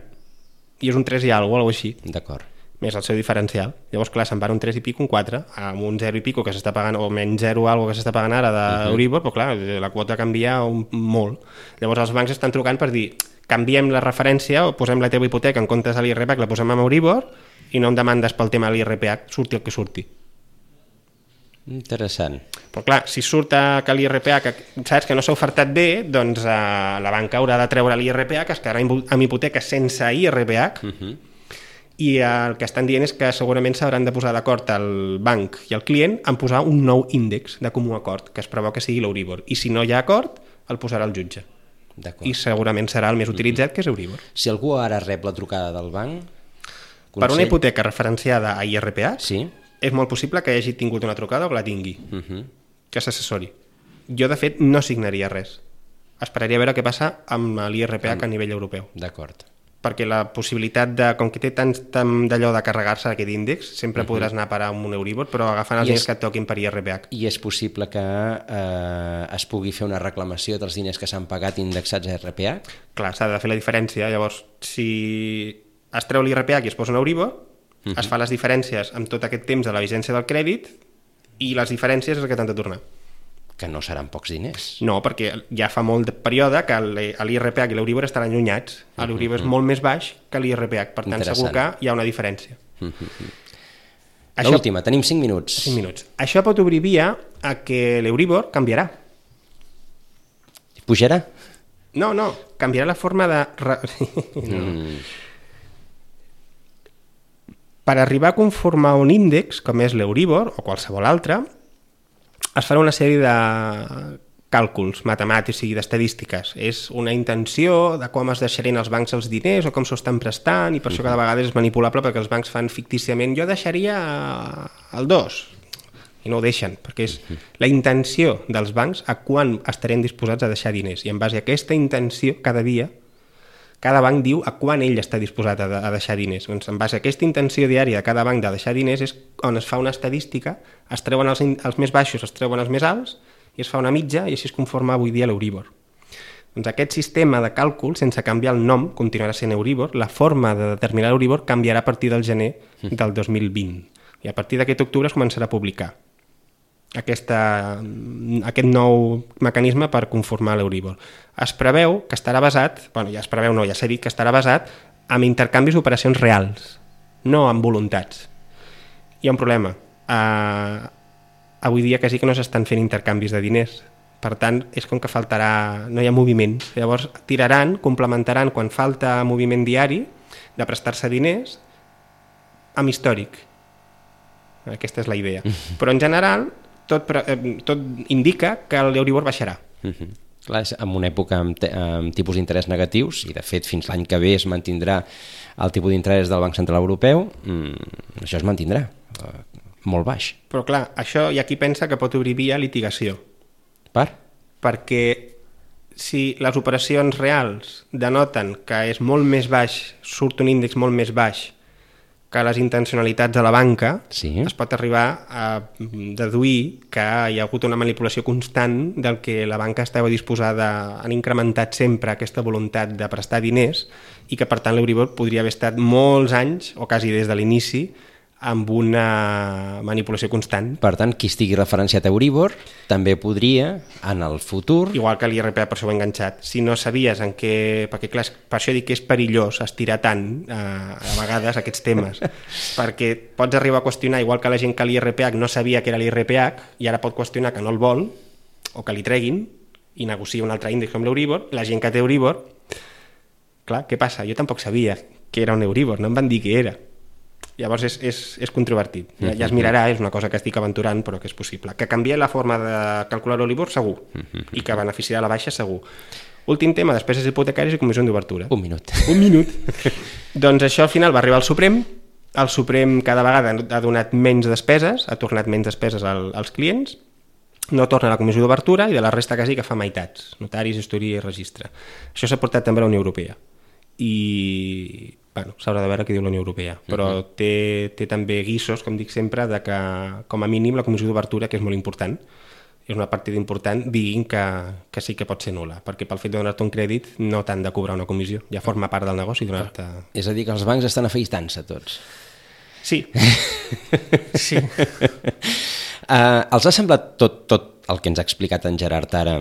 [SPEAKER 3] I és un 3 i alguna cosa així.
[SPEAKER 2] D'acord.
[SPEAKER 3] Més el seu diferencial. Llavors, clar, se'n van un 3 i pico, un 4, amb un 0 i pico que s'està pagant, o menys 0 alguna que s'està pagant ara d'Euribor, però clar, la quota canvia molt. Llavors els bancs estan trucant per dir, canviem la referència o posem la teva hipoteca en comptes de l'IRPH, la posem amb Euribor i no em demandes pel tema de l'IRPH, surti el que surti.
[SPEAKER 2] Interessant.
[SPEAKER 3] Però clar, si surt que l'IRPH, saps que no s'ha ofertat bé, doncs la banca haurà de treure l'IRPH, que es quedarà amb hipoteca sense IRPH, i el que estan dient és que segurament s'hauran de posar d'acord el banc i el client en posar un nou índex de comú acord, que es preveu que sigui l'Euribor. I si no hi ha acord, el posarà el jutge. I segurament serà el més utilitzat, que és Euribor.
[SPEAKER 2] Si algú ara rep la trucada del banc...
[SPEAKER 3] Per una hipoteca referenciada a IRPH,
[SPEAKER 2] sí?
[SPEAKER 3] És molt possible que hagi tingut una trucada o que la tingui, que s'assessori. Jo, de fet, no signaria res. Esperaria a veure què passa amb l'IRPH a nivell europeu.
[SPEAKER 2] D'acord.
[SPEAKER 3] Perquè la possibilitat de, com que té tant d'allò de carregar-se aquest índex, sempre podràs anar a parar amb un Euribor, però agafant els diners que et toquin per IRPH.
[SPEAKER 2] I és possible que es pugui fer una reclamació dels diners que s'han pagat indexats a IRPH?
[SPEAKER 3] Clar, s'ha de fer la diferència. Llavors, si es treu l'IRPH i es posa un Euribor, es fa les diferències amb tot aquest temps de la vigència del crèdit i les diferències és el que t'han de tornar.
[SPEAKER 2] Que no seran pocs diners.
[SPEAKER 3] No, perquè ja fa molt de període que l'IRPH i l'Euribor estan allunyats. L'Euribor és molt més baix que l'IRPH, per tant segur que hi ha una diferència.
[SPEAKER 2] L'última, tenim 5 minuts.
[SPEAKER 3] 5 minuts. Això pot obrir via a que l'Euribor canviarà.
[SPEAKER 2] Pujarà?
[SPEAKER 3] No, canviarà la forma de... Per arribar a conformar un índex, com és l'Euribor o qualsevol altre, es farà una sèrie de càlculs matemàtics i d'estadístiques. És una intenció de com es deixarien els bancs els diners o com s'ho estan prestant, i per això cada vegada és manipulable, perquè els bancs fan fictíciament jo deixaria el 2, i no ho deixen, perquè és la intenció dels bancs a quan estarem disposats a deixar diners, i en base a aquesta intenció, cada dia, cada banc diu a quan ell està disposat a deixar diners. Doncs en base a aquesta intenció diària de cada banc de deixar diners és on es fa una estadística, es treuen els més baixos, es treuen els més alts, i es fa una mitja, i així es conforma avui dia l'Euribor. Doncs aquest sistema de càlcul, sense canviar el nom, continuarà sent Euribor. La forma de determinar l'Euribor canviarà a partir del gener del 2020. I a partir d'aquest octubre es començarà a publicar aquest nou mecanisme per conformar l'Euribor. Es preveu que estarà basat, ja s'ha dit que estarà basat en intercanvis d'operacions reals, no en voluntats. Hi ha un problema. Avui dia quasi que no s'estan fent intercanvis de diners. Per tant, és com que no hi ha moviment. Llavors tiraran, complementaran quan falta moviment diari de prestar-se diners amb històric. Aquesta és la idea. Però en general tot indica que l'Euribor baixarà.
[SPEAKER 2] Clar, és en una època amb tipus d'interès negatius, i de fet fins l'any que ve es mantindrà el tipus d'interès del Banc Central Europeu, això es mantindrà molt baix.
[SPEAKER 3] Però clar, això hi ha qui pensa que pot obrir via litigació. Perquè si les operacions reals denoten que és molt més baix, surt un índex molt més baix que les intencionalitats de la banca, es pot arribar a deduir que hi ha hagut una manipulació constant del que la banca estava disposada, han incrementat sempre aquesta voluntat de prestar diners, i que per tant l'Euribor podria haver estat molts anys, o quasi des de l'inici, amb una manipulació constant.
[SPEAKER 2] Per tant, qui estigui referenciat a Euribor també podria, en el futur...
[SPEAKER 3] Igual que l'IRPH, per això ho he enganxat. Si no sabies en què... Perquè clar, per això dic que és perillós estirar tant a vegades aquests temes, perquè pots arribar a qüestionar, igual que la gent que l'IRPH no sabia que era l'IRPH, i ara pot qüestionar que no el vol, o que li treguin, i negocia un altre índex com l'Euribor. La gent que té Euribor, clar, què passa? Jo tampoc sabia que era un Euribor, no em van dir què era. Llavors és controvertit. Ja es mirarà, és una cosa que estic aventurant, però que és possible. Que canvia la forma de calcular l'Euribor, segur. I que beneficiarà la baixa, segur. Últim tema, despeses hipotecàries i comissió d'obertura.
[SPEAKER 2] Un minut.
[SPEAKER 3] Doncs això al final va arribar al Suprem. El Suprem cada vegada ha donat menys despeses, ha tornat menys despeses als clients, no torna a la comissió d'obertura, i de la resta quasi que fa meitats. Notaris, gestoria i registre. Això s'ha portat també a la Unió Europea. I... s'haurà de veure què diu la Unió Europea, però té també guissos, com dic sempre, de que com a mínim la comissió d'obertura, que és molt important, és una partida important, diguin que sí que pot ser nul·la, perquè pel fet de donar-te un crèdit no t'han de cobrar una comissió, ja forma part del negoci donar-te...
[SPEAKER 2] És a dir, que els bancs estan afaitant-se tots.
[SPEAKER 3] Sí.
[SPEAKER 2] Els ha semblat tot tot el que ens ha explicat en Gerard ara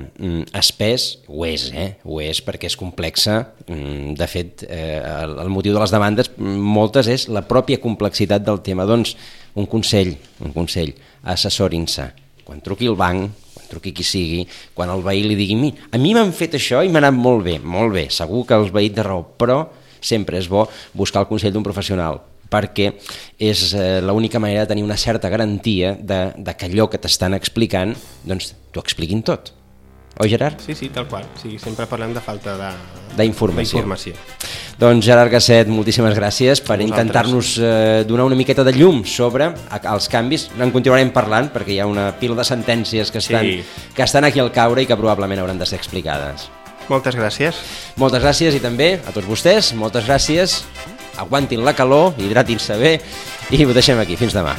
[SPEAKER 2] espès, ho és perquè és complexa. De fet, el motiu de les demandes, moltes, és la pròpia complexitat del tema. Doncs un consell, assessorin-se. Quan truqui el banc, quan truqui qui sigui, quan el veí li digui a mi m'han fet això i m'ha anat molt bé, segur que els veïts de raó, però sempre és bo buscar el consell d'un professional, perquè és l'única manera de tenir una certa garantia de que allò que t'estan explicant, doncs t'ho expliquin tot. Oi, Gerard?
[SPEAKER 3] Sí, tal qual. Sí, sempre parlem de falta
[SPEAKER 2] d'informació. Doncs Gerard Gasset, moltíssimes gràcies per intentar-nos donar una miqueta de llum sobre els canvis. En continuarem parlant perquè hi ha una pila de sentències que estan aquí al caure i que probablement hauran de ser explicades.
[SPEAKER 3] Moltes gràcies.
[SPEAKER 2] Moltes gràcies i també a tots vostès, moltes gràcies. Aguantin la calor, hidratin-se bé i ho deixem aquí. Fins demà.